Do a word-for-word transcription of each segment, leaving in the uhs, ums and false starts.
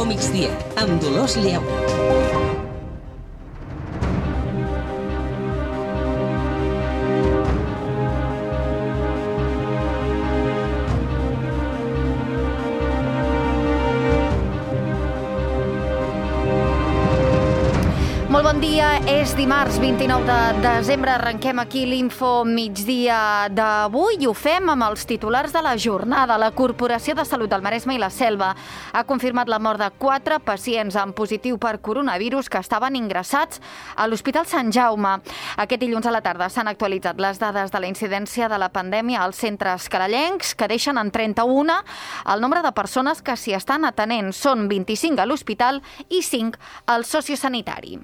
Infomigdia, amb Dolors Lleó. Molt bon dia, és dimarts vint-i-nou de desembre, arrenquem aquí l'Info Migdia d'avui i ho fem amb els titulars de la jornada. La Corporació de Salut del Maresme i la Selva ha confirmat la mort de quatre pacients amb positiu per coronavirus que estaven ingressats a l'Hospital Sant Jaume. Aquest dilluns a la tarda s'han actualitzat les dades de la incidència de la pandèmia als centres carallencs, que deixen en trenta-u el nombre de persones que s'hi estan atenent. Són vint-i-cinc a l'hospital i cinc al sociosanitari.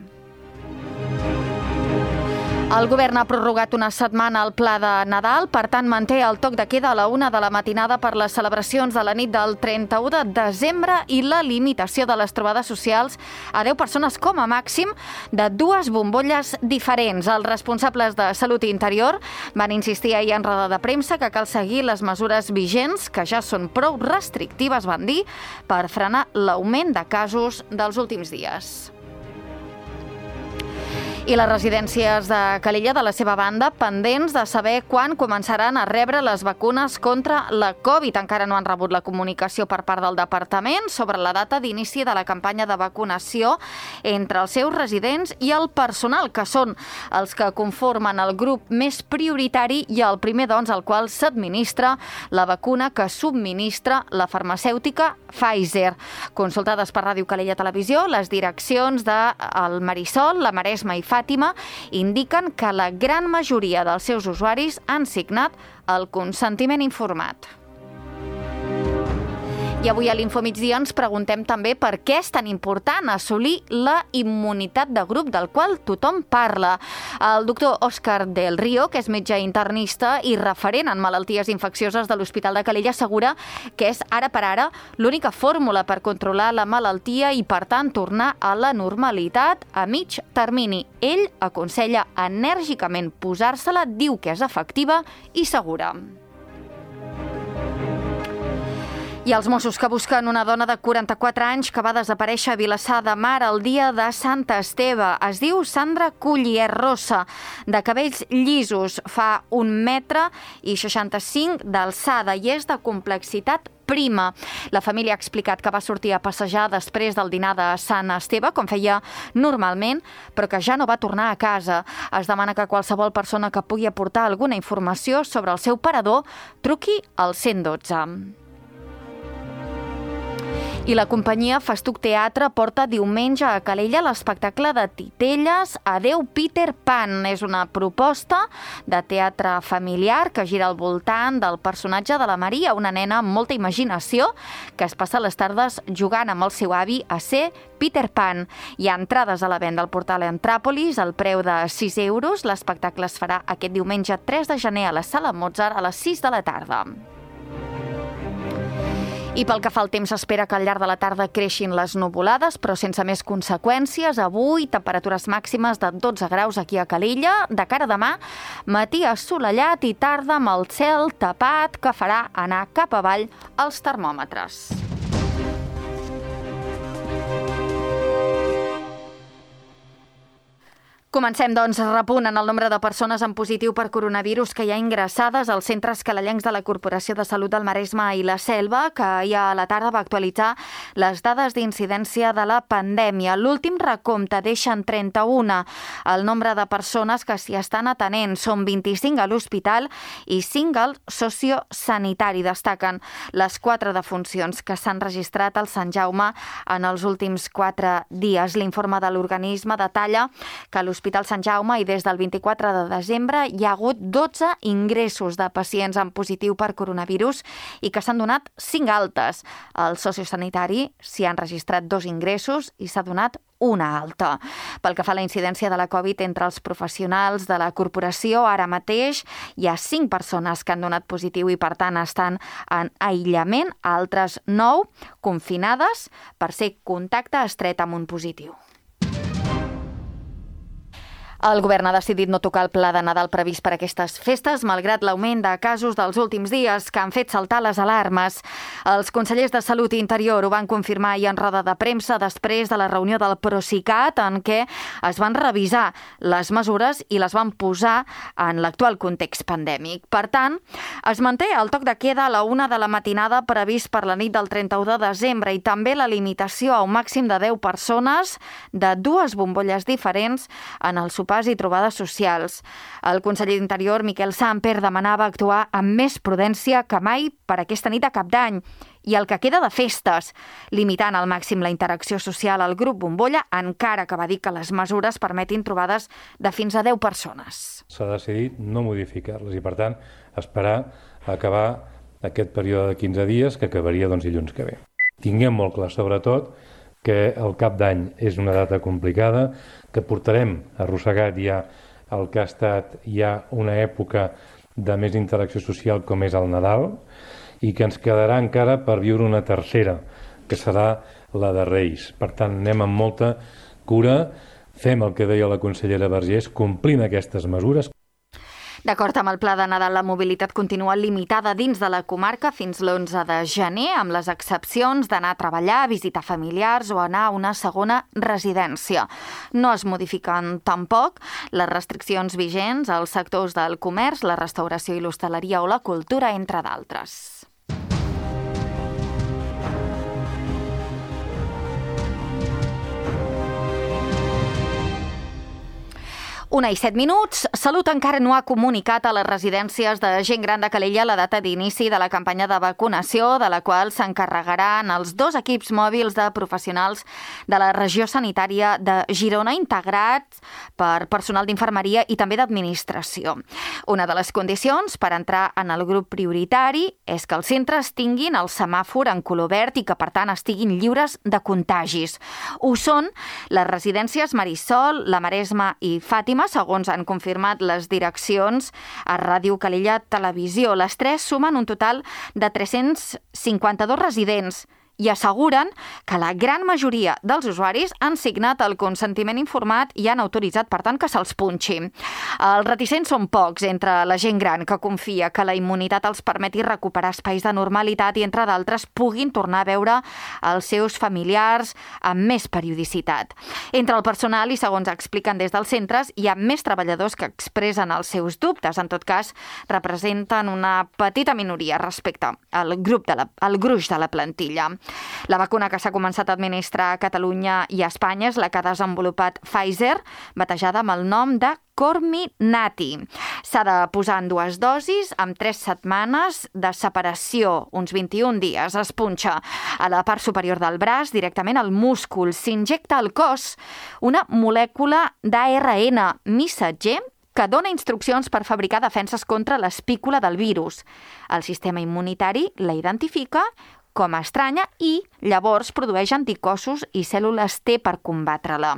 El govern ha prorrogat una setmana el pla de Nadal, per tant manté el toc de queda a la una de la matinada per les celebracions de la nit del trenta-u de desembre i la limitació de les trobades socials a deu persones com a màxim de dues bombolles diferents. Els responsables de Salut i Interior van insistir ahir en roda de premsa que cal seguir les mesures vigents, que ja són prou restrictives, van dir, per frenar l'augment de casos dels últims dies. I les residències de Calella, de la seva banda, pendents de saber quan començaran a rebre les vacunes contra la Covid. Encara no han rebut la comunicació per part del departament sobre la data d'inici de la campanya de vacunació entre els seus residents i el personal, que són els que conformen el grup més prioritari i el primer, doncs, al qual s'administra la vacuna que subministra la farmacèutica Pfizer. Consultades per Ràdio Calella Televisió, les direccions de el Marisol, la Maresma i Fàtima indiquen que la gran majoria dels seus usuaris han signat el consentiment informat. I avui a l'Infomigdia ens preguntem també per què és tan important assolir la immunitat de grup del qual tothom parla. El doctor Òscar del Río, que és metge internista i referent en malalties infeccioses de l'Hospital de Calella, assegura que és ara per ara l'única fórmula per controlar la malaltia i, per tant, tornar a la normalitat a mig termini. Ell aconsella enèrgicament posar-se-la, diu que és efectiva i segura. I els Mossos que busquen una dona de quaranta-quatre anys que va desaparèixer a Vilassar de Mar el dia de Sant Esteve. Es diu Sandra Cullier Rossa, de cabells llisos, fa un metre i seixanta-cinc d'alçada i és de complexitat prima. La família ha explicat que va sortir a passejar després del dinar de Sant Esteve, com feia normalment, però que ja no va tornar a casa. Es demana que qualsevol persona que pugui aportar alguna informació sobre el seu parador truqui al cent dotze. I la companyia Festuc Teatre porta diumenge a Calella l'espectacle de titelles Adeu Peter Pan. És una proposta de teatre familiar que gira al voltant del personatge de la Maria, una nena amb molta imaginació que es passa les tardes jugant amb el seu avi a ser Peter Pan. Hi ha entrades a la venda al portal Entràpolis al preu de sis euros. L'espectacle es farà aquest diumenge tres de gener a la Sala Mozart a les sis de la tarda. I pel que fa al temps, s'espera que al llarg de la tarda creixin les nuvolades, però sense més conseqüències. Avui, temperatures màximes de dotze graus aquí a Calella. De cara a demà, matí assolellat i tarda amb el cel tapat, que farà anar cap avall els termòmetres. Comencem, doncs, repunt en el nombre de persones amb positiu per coronavirus que hi ha ingressades als centres calellencs de la Corporació de Salut del Maresme i la Selva, que ahir a la tarda va actualitzar les dades d'incidència de la pandèmia. L'últim recompte deixa en trenta-u el nombre de persones que s'hi estan atenent. Són vint-i-cinc a l'hospital i cinc al sociosanitari. Destaquen les quatre defuncions que s'han registrat al Sant Jaume en els últims quatre dies. L'informe de l'organisme detalla que l'Hospital L'Hospital Sant Jaume i des del vint-i-quatre de desembre hi ha hagut dotze ingressos de pacients amb positiu per coronavirus i que s'han donat cinc altes. Al sociosanitari s'hi han registrat dos ingressos i s'ha donat una alta. Pel que fa a la incidència de la Covid entre els professionals de la corporació, ara mateix hi ha cinc persones que han donat positiu i, per tant, estan en aïllament, altres nou confinades per ser contacte estret amb un positiu. El govern ha decidit no tocar el pla de Nadal previst per aquestes festes, malgrat l'augment de casos dels últims dies que han fet saltar les alarmes. Els consellers de Salut i Interior ho van confirmar ahir en roda de premsa després de la reunió del Procicat, en què es van revisar les mesures i les van posar en l'actual context pandèmic. Per tant, es manté el toc de queda a la una de la matinada previst per la nit del trenta-u de desembre i també la limitació a un màxim de deu persones de dues bombolles diferents en el sopars i trobades socials. El conseller d'Interior, Miquel Samper, demanava actuar amb més prudència que mai per aquesta nit de Cap d'Any i el que queda de festes, limitant al màxim la interacció social al grup bombolla, encara que va dir que les mesures permetin trobades de fins a deu persones. S'ha decidit no modificar-les i, per tant, esperar a acabar aquest període de quinze dies, que acabaria doncs, dilluns que ve. Tinguem molt clar, sobretot, que el Cap d'Any és una data complicada, que portarem arrossegat ja el que ha estat ja una època de més interacció social com és el Nadal i que ens quedarà encara per viure una tercera, que serà la de Reis. Per tant, anem amb molta cura, fem el que deia la consellera Vergés, complint aquestes mesures. D'acord amb el pla de Nadal, la mobilitat continua limitada dins de la comarca fins l'onze de gener, amb les excepcions d'anar a treballar, a visitar familiars o anar a una segona residència. No es modifiquen tampoc les restriccions vigents als sectors del comerç, la restauració i l'hostaleria o la cultura, entre d'altres. Una i set minuts. Salut encara no ha comunicat a les residències de gent gran de Calella la data d'inici de la campanya de vacunació, de la qual s'encarregaran els dos equips mòbils de professionals de la regió sanitària de Girona, integrats per personal d'infermeria i també d'administració. Una de les condicions per entrar en el grup prioritari és que els centres tinguin el semàfor en color verd i que, per tant, estiguin lliures de contagis. Ho són les residències Marisol, la Maresma i Fàtima, segons han confirmat les direccions a Ràdio Calella Televisió. Les tres sumen un total de tres-cents cinquanta-dos residents i asseguren que la gran majoria dels usuaris han signat el consentiment informat i han autoritzat, per tant, que se'ls punxi. Els reticents són pocs entre la gent gran que confia que la immunitat els permeti recuperar espais de normalitat i, entre d'altres, puguin tornar a veure els seus familiars amb més periodicitat. Entre el personal, i segons expliquen des dels centres, hi ha més treballadors que expressen els seus dubtes. En tot cas, representen una petita minoria respecte al grup de la, al gruix de la plantilla. La vacuna que s'ha començat a administrar a Catalunya i a Espanya és la que ha desenvolupat Pfizer, batejada amb el nom de Comirnaty. S'ha de posar en dues dosis amb tres setmanes de separació, uns vint-i-un dies. Es punxa a la part superior del braç, directament al múscul. S'injecta al cos una molècula d'A R N missatger que dona instruccions per fabricar defenses contra l'espícula del virus. El sistema immunitari la identifica com a estranya i llavors produeix anticossos i cèl·lules T per combatre-la.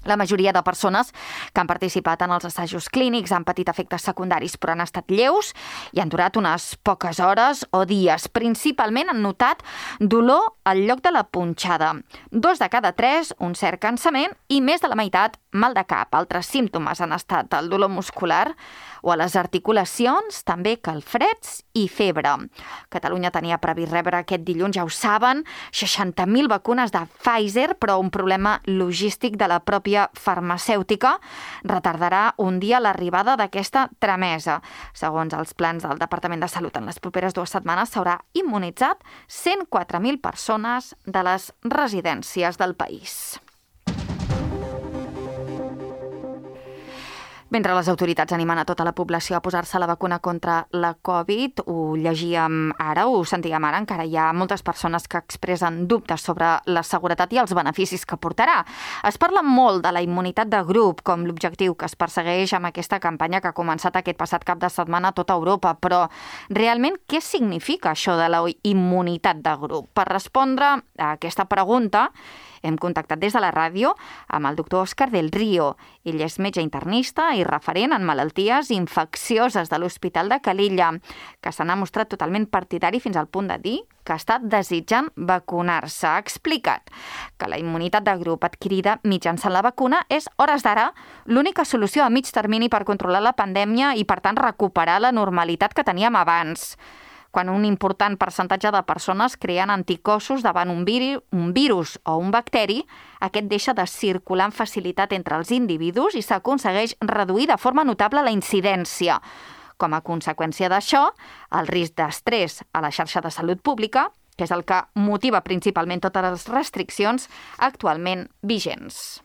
La majoria de persones que han participat en els assajos clínics han patit efectes secundaris, però han estat lleus i han durat unes poques hores o dies. Principalment han notat dolor al lloc de la punxada. Dos de cada tres, un cert cansament i més de la meitat mal de cap. Altres símptomes han estat el dolor muscular o a les articulacions, també calfreds i febre. Catalunya tenia previst rebre aquest dilluns, ja ho saben, seixanta mil vacunes de Pfizer, però un problema logístic de la pròpia farmacèutica retardarà un dia l'arribada d'aquesta tramesa. Segons els plans del Departament de Salut, en les properes dues setmanes s'haurà immunitzat cent quatre mil persones de les residències del país. Mentre les autoritats animen a tota la població a posar-se la vacuna contra la Covid, ho llegíem ara, ho sentíem ara, encara hi ha moltes persones que expressen dubtes sobre la seguretat i els beneficis que portarà. Es parla molt de la immunitat de grup com l'objectiu que es persegueix amb aquesta campanya que ha començat aquest passat cap de setmana a tota Europa, però realment què significa això de la immunitat de grup? Per respondre a aquesta pregunta, hem contactat des de la ràdio amb el doctor Òscar del Río. Ell és metge internista i estudi referent en malalties infeccioses de l'Hospital de Calella, que se n'ha mostrat totalment partidari fins al punt de dir que està desitjant vacunar-se. Ha explicat que la immunitat de grup adquirida mitjançant la vacuna és, hores d'ara, l'única solució a mig termini per controlar la pandèmia i, per tant, recuperar la normalitat que teníem abans. Quan un important percentatge de persones creen anticossos davant un, viri, un virus o un bacteri, aquest deixa de circular amb facilitat entre els individus i s'aconsegueix reduir de forma notable la incidència. Com a conseqüència d'això, el risc d'estrès a la xarxa de salut pública, que és el que motiva principalment totes les restriccions actualment vigents.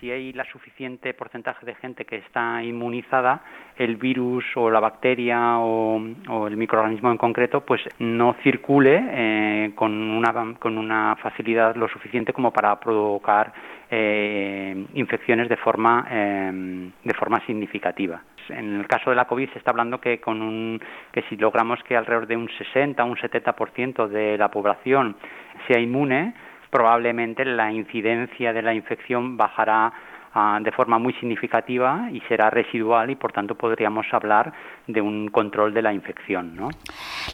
Si hay la suficiente porcentaje de gente que está inmunizada, el virus o la bacteria o, o el microorganismo en concreto, pues no circule eh, con una con una facilidad lo suficiente como para provocar eh, infecciones de forma eh, de forma significativa. En el caso de la COVID se está hablando que con un que si logramos que alrededor de un sesenta o un setenta por ciento de la población sea inmune, probablemente la incidencia de la infección bajará uh, de forma muy significativa y será residual y, por tanto, podríamos hablar de un control de la infección, ¿no?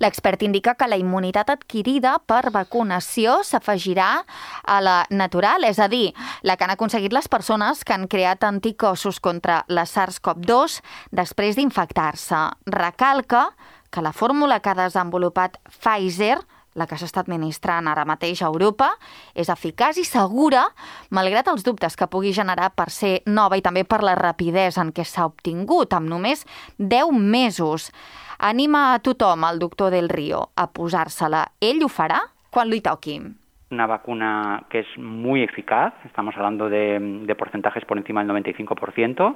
L'expert indica que la immunitat adquirida per vacunació s'afegirà a la natural, és a dir, la que han aconseguit les persones que han creat anticossos contra la SARS CoV dos després d'infectar-se. Recalca que la fórmula que ha desenvolupat Pfizer, la que s'està administrant ara mateix a Europa, és eficaç i segura, malgrat els dubtes que pugui generar per ser nova i també per la rapidesa en què s'ha obtingut, amb només deu mesos. Anima a tothom, el doctor Del Río, a posar-se-la. Ell ho farà quan li toqui. Una vacuna que es muy eficaz, estamos hablando de, de porcentajes por encima del noventa y cinco por ciento,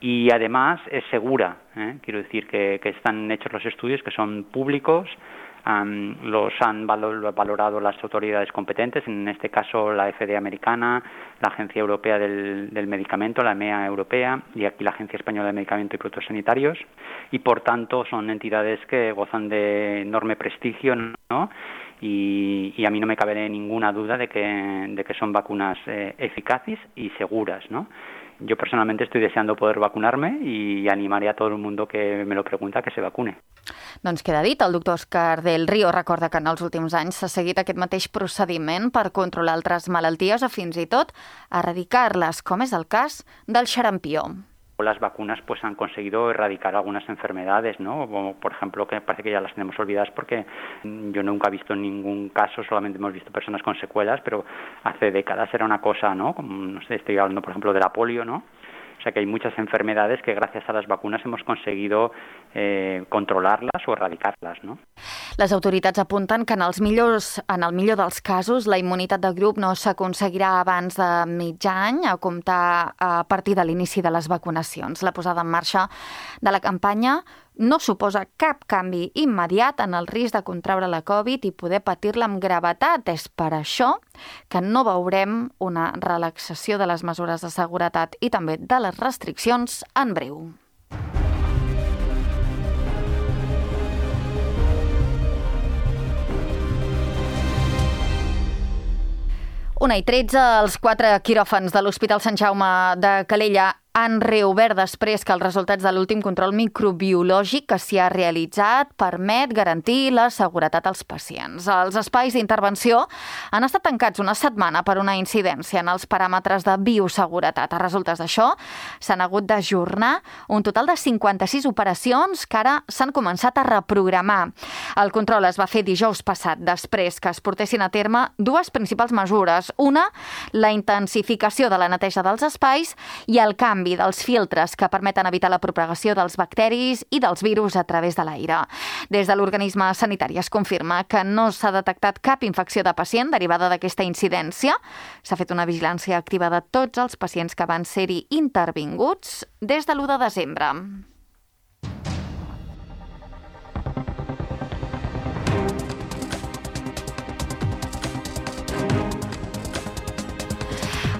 y además es segura. ¿eh? Quiero decir que, que están hechos los estudios que son públicos. Um, los han valor, valorado las autoridades competentes, en este caso la F D A americana, la Agencia Europea del, del Medicamento, la E M E A europea, y aquí la Agencia Española de Medicamento y Productos Sanitarios, y por tanto son entidades que gozan de enorme prestigio, ¿no? Y, y a mí no me cabe ninguna duda de que, de que son vacunas eh, eficaces y seguras, ¿no? Yo personalmente estoy deseando poder vacunarme y animaré a todo el mundo que me lo pregunta que se vacune. Doncs queda dit, el doctor Òscar Del Río recorda que en els últims anys s'ha seguit aquest mateix procediment per controlar altres malalties o fins i tot erradicar-les, com és el cas del xarampió. Las vacunas pues han conseguido erradicar algunas enfermedades, ¿no? Como, por ejemplo, que parece que ya las tenemos olvidadas porque yo nunca he visto ningún caso, solamente hemos visto personas con secuelas, pero hace décadas era una cosa, ¿no? Como, no sé, estoy hablando, por ejemplo, de la polio, ¿no? O sea que hay muchas enfermedades que gracias a las vacunas hemos conseguido eh, controlarlas o erradicarlas, ¿no? Les autoritats apunten que en, els millors, en el millor dels casos la immunitat de grup no s'aconseguirà abans de mig any, a comptar a partir de l'inici de les vacunacions. La posada en marxa de la campanya no suposa cap canvi immediat en el risc de contraure la Covid i poder patir-la amb gravetat. És per això que no veurem una relaxació de les mesures de seguretat i també de les restriccions en breu. Una i tretze, els quatre quiròfans de l'Hospital Sant Jaume de Calella han reobert després que els resultats de l'últim control microbiològic que s'hi ha realitzat permet garantir la seguretat als pacients. Els espais d'intervenció han estat tancats una setmana per una incidència en els paràmetres de bioseguretat. A resultes d'això, s'han hagut d'ajornar un total de cinquanta-sis operacions que ara s'han començat a reprogramar. El control es va fer dijous passat, després que es portessin a terme dues principals mesures. Una, la intensificació de la neteja dels espais i el canvi dels filtres que permeten evitar la propagació dels bacteris i dels virus a través de l'aire. Des de l'organisme sanitari es confirma que no s'ha detectat cap infecció de pacient derivada d'aquesta incidència. S'ha fet una vigilància activa de tots els pacients que van ser-hi intervinguts des de l'u de desembre.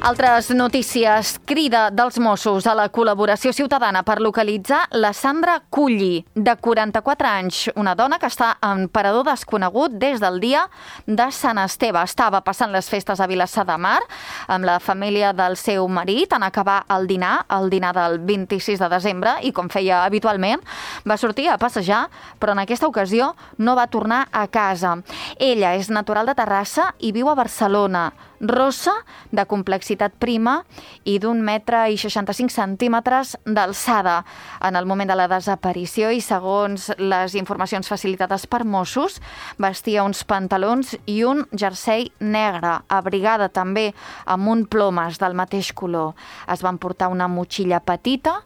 Altres notícies. Crida dels Mossos a la col·laboració ciutadana per localitzar la Sandra Culli, de quaranta-quatre anys, una dona que està en parador desconegut des del dia de Sant Esteve. Estava passant les festes a Vilassar de Mar amb la família del seu marit en acabar el dinar, el dinar del vint-i-sis de desembre, i com feia habitualment, va sortir a passejar, però en aquesta ocasió no va tornar a casa. Ella és natural de Terrassa i viu a Barcelona. Rossa, de complexitat prima i d'un metre i seixanta-cinc centímetres d'alçada. En el moment de la desaparició i segons les informacions facilitades per Mossos, vestia uns pantalons i un jersei negre, abrigada també amb un plomes del mateix color. Es van portar una motxilla petita,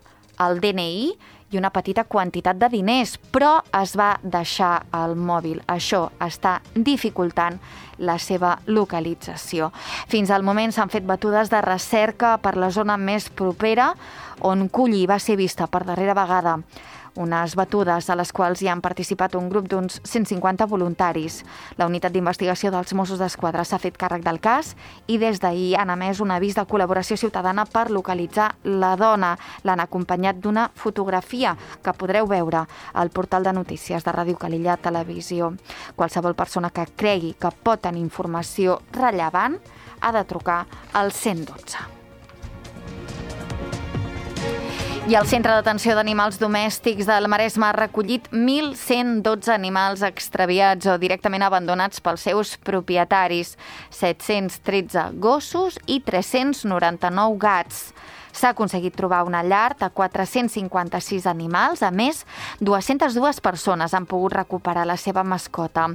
el D N I i una petita quantitat de diners, però es va deixar el mòbil. Això està dificultant la seva localització. Fins al moment s'han fet batudes de recerca per la zona més propera on Culli va ser vista per darrera vegada. Unes batudes a les quals hi han participat un grup d'uns cent cinquanta voluntaris. La unitat d'investigació dels Mossos d'Esquadra s'ha fet càrrec del cas i des d'ahir han emès un avís de col·laboració ciutadana per localitzar la dona. L'han acompanyat d'una fotografia que podreu veure al portal de notícies de Ràdio Calella Televisió. Qualsevol persona que cregui que pot tenir informació rellevant ha de trucar al cent dotze. I el Centre d'Atenció d'Animals Domèstics del Maresme ha recollit mil cent dotze animals extraviats o directament abandonats pels seus propietaris, set-cents tretze gossos i tres-cents noranta-nou gats. S'ha aconseguit trobar una llar de quatre-cents cinquanta-sis animals. A més, dues-centes dues persones han pogut recuperar la seva mascota.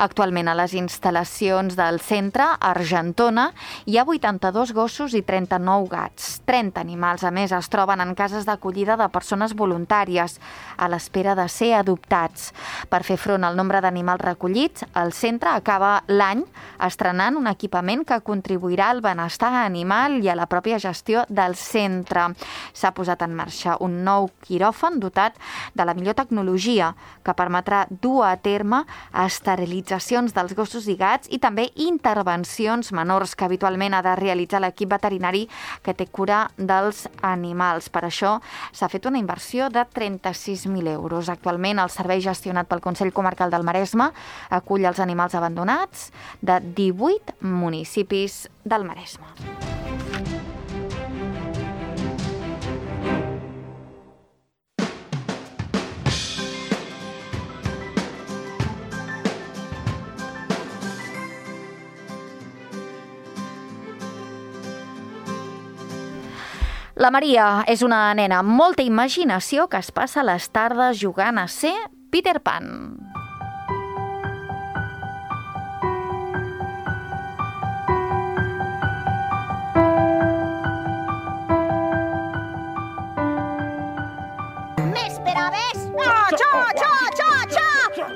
Actualment a les instal·lacions del centre, a Argentona, hi ha vuitanta-dos gossos i trenta-nou gats. trenta animals, a més, es troben en cases d'acollida de persones voluntàries, a l'espera de ser adoptats. Per fer front al nombre d'animals recollits, el centre acaba l'any estrenant un equipament que contribuirà al benestar animal i a la pròpia gestió del centre. S'ha posat en marxa un nou quiròfan dotat de la millor tecnologia que permetrà dur a terme esterilitzacions dels gossos i gats i també intervencions menors que habitualment ha de realitzar l'equip veterinari que té cura dels animals. Per això s'ha fet una inversió de trenta-sis mil euros. Actualment el servei gestionat pel Consell Comarcal del Maresme acull els animals abandonats de divuit municipis del Maresme. La Maria és una nena amb molta imaginació que es passa les tardes jugant a ser Peter Pan. M'esperaves? Ah, xa, xa, xa, xa!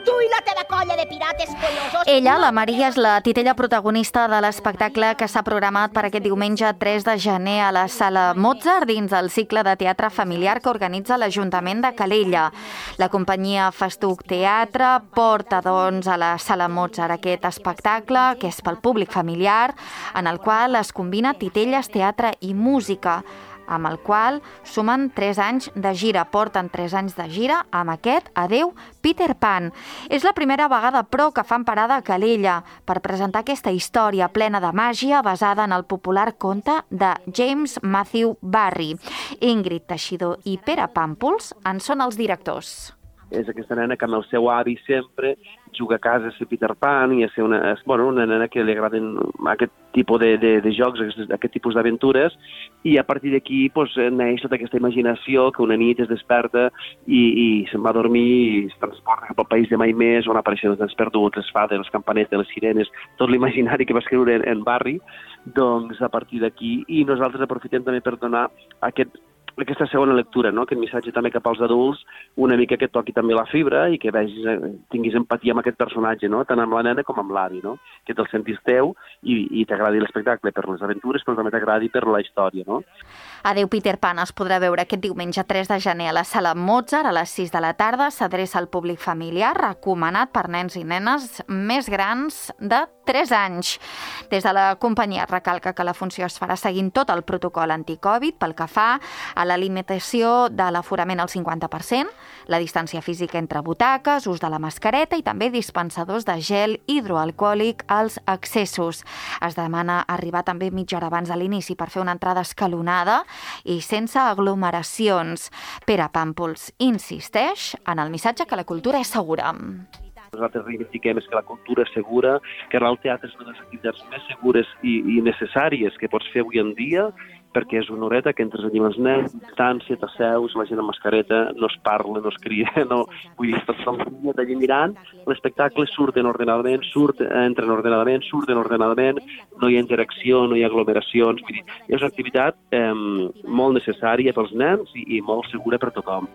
Tu i la teva colla de pirates collosos! Ella, la Maria, és la titella protagonista de l'espectacle que s'ha programat per aquest diumenge tres de gener a la Sala Mozart dins del cicle de teatre familiar que organitza l'Ajuntament de Calella. La companyia Festuc Teatre porta, doncs, a la Sala Mozart aquest espectacle, que és pel públic familiar, en el qual es combina titelles, teatre i música, amb el qual sumen tres anys de gira. Porten tres anys de gira amb aquest Adeu, Peter Pan. És la primera vegada, però, que fan parada a Calella per presentar aquesta història plena de màgia basada en el popular conte de James Matthew Barrie. Ingrid Teixidor i Pere Pàmpols en són els directors. És aquesta nena que amb el seu avi sempre juga a casa a ser Peter Pan i a ser una, bueno, una nena que li agraden aquest tipus de, de, de jocs, aquest, aquest tipus d'aventures, i a partir d'aquí pues, neix tota aquesta imaginació que una nit es desperta i, i se'n va a dormir i es transporta cap al país de mai més, on apareixen els nens perduts, les fades, les campanetes, les sirenes, tot l'imaginari que va escriure en, en Barrie, doncs a partir d'aquí, i nosaltres aprofitem també per donar aquest aquesta segona lectura, no? Aquest missatge també cap als adults, una mica que toqui també la fibra i que vegis, tinguis empatia amb aquest personatge, no? Tant amb la nena com amb l'avi, no? Que te'l sentis teu i, i t'agradi l'espectacle per les aventures, però també t'agradi per la història, no? Adeu, Peter Pan es podrà veure aquest diumenge tres de gener a la Sala Mozart a les sis de la tarda. S'adreça al públic familiar, recomanat per nens i nenes més grans de tres anys. Des de la companyia recalca que la funció es farà seguint tot el protocol anticovid pel que fa a la limitació de l'aforament al cinquanta per cent, la distància física entre butaques, ús de la mascareta i també dispensadors de gel hidroalcohòlic als accessos. Es demana arribar també mitja hora abans de l'inici per fer una entrada escalonada i sense aglomeracions. Pere Pàmpols insisteix en el missatge que la cultura és segura. Nosaltres reivindiquem és que la cultura és segura, que anar al teatre és una de les activitats més segures i, i necessàries que pots fer avui en dia, perquè és una horeta que entres allà amb els nens, distància, t'asseus, la gent amb mascareta, no es parla, no es cria, no... Vull dir, estàs allà mirant, l'espectacle surten ordenadament, surt, entren ordenadament, surten ordenadament, no hi ha interacció, no hi ha aglomeracions, vull dir, és una activitat eh, molt necessària pels nens i, i molt segura per tothom.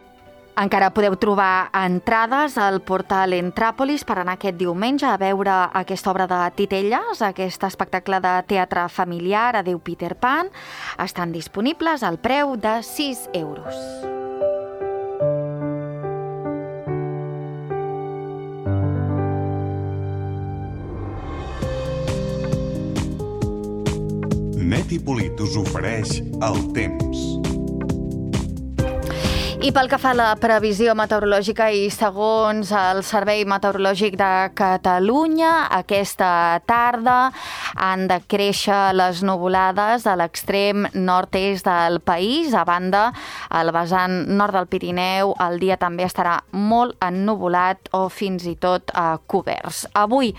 Encara podeu trobar entrades al portal Entràpolis per anar aquest diumenge a veure aquesta obra de Titelles, aquest espectacle de teatre familiar Adéu Peter Pan. Estan disponibles al preu de sis euros. Net i Polit us ofereix el temps. I pel que fa a la previsió meteorològica i segons el Servei Meteorològic de Catalunya, aquesta tarda han de créixer les nuvolades a l'extrem nord-est del país. A banda, al vessant nord del Pirineu, el dia també estarà molt ennuvolat o fins i tot eh, coberts. Avui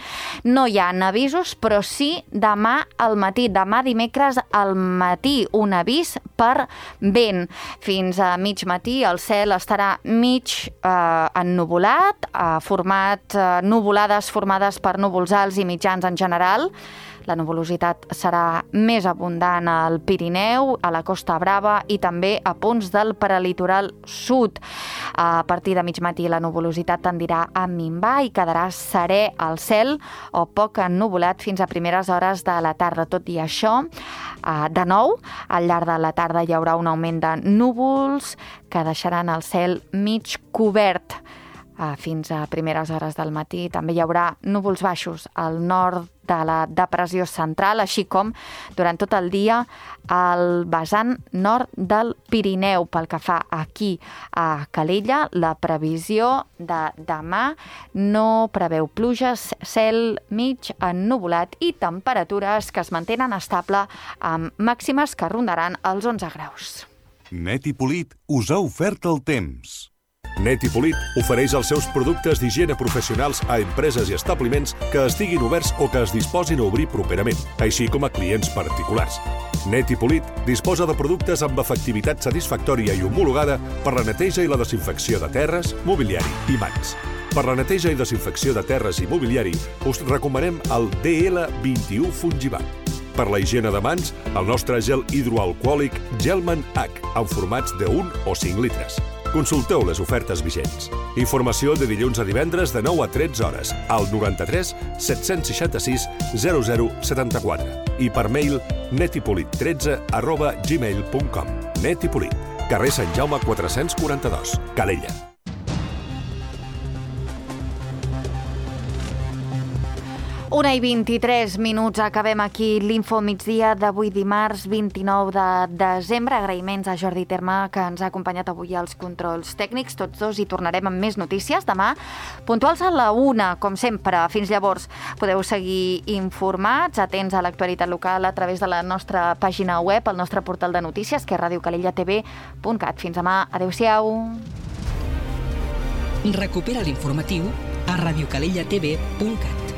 no hi ha avisos, però sí demà al matí, demà dimecres al matí, un avís per vent. Fins a mig matí el cel estarà mig eh, ennuvolat, eh, format eh, nuvolades formades per núvols alts i mitjans en general. La nuvolositat serà més abundant al Pirineu, a la Costa Brava i també a punts del prelitoral sud. A partir de mig matí la nuvolositat tendirà a minvar i quedarà serè al cel o poc ennuvolat fins a primeres hores de la tarda. Tot i això, de nou, al llarg de la tarda hi haurà un augment de núvols que deixaran el cel mig cobert. Fins a primeres hores del matí també hi haurà núvols baixos al nord de la depressió central, així com durant tot el dia al vessant nord del Pirineu. Pel que fa aquí a Calella, la previsió de demà no preveu pluges, cel mig ennuvolat i temperatures que es mantenen estable amb màximes que rondaran els onze graus. Net i Polit us ha ofert el temps. Net i Polit ofereix els seus productes d'higiene professionals a empreses i establiments que estiguin oberts o que es disposin a obrir properament, així com a clients particulars. Net i Polit disposa de productes amb efectivitat satisfactòria i homologada per la neteja i la desinfecció de terres, mobiliari i mans. Per la neteja i desinfecció de terres i mobiliari us recomanem el D L vint-i-u Fungibat. Per la higiene de mans, el nostre gel hidroalcohòlic Gelman H, en formats de un o cinc litres. Consulteu les ofertes vigents. Informació de dilluns a divendres de nou a tretze hores al noranta-tres set-cents seixanta-sis zero zero setanta-quatre i per mail netipolit tretze arroba gmail punt com. Net i Polit, carrer Sant Jaume quatre-cents quaranta-dos, Calella. Una i vint-i-tres minuts, acabem aquí l'Info Migdia d'avui dimarts vint-i-nou de desembre. Agraïments a Jordi Terme, que ens ha acompanyat avui als controls tècnics. Tots dos hi tornarem amb més notícies demà, puntuals a la una, com sempre. Fins llavors podeu seguir informats, atents a l'actualitat local a través de la nostra pàgina web, el nostre portal de notícies, que és radio calella t v punt cat. Fins demà, adeu-siau. Recupera l'informatiu a radio calella t v punt cat.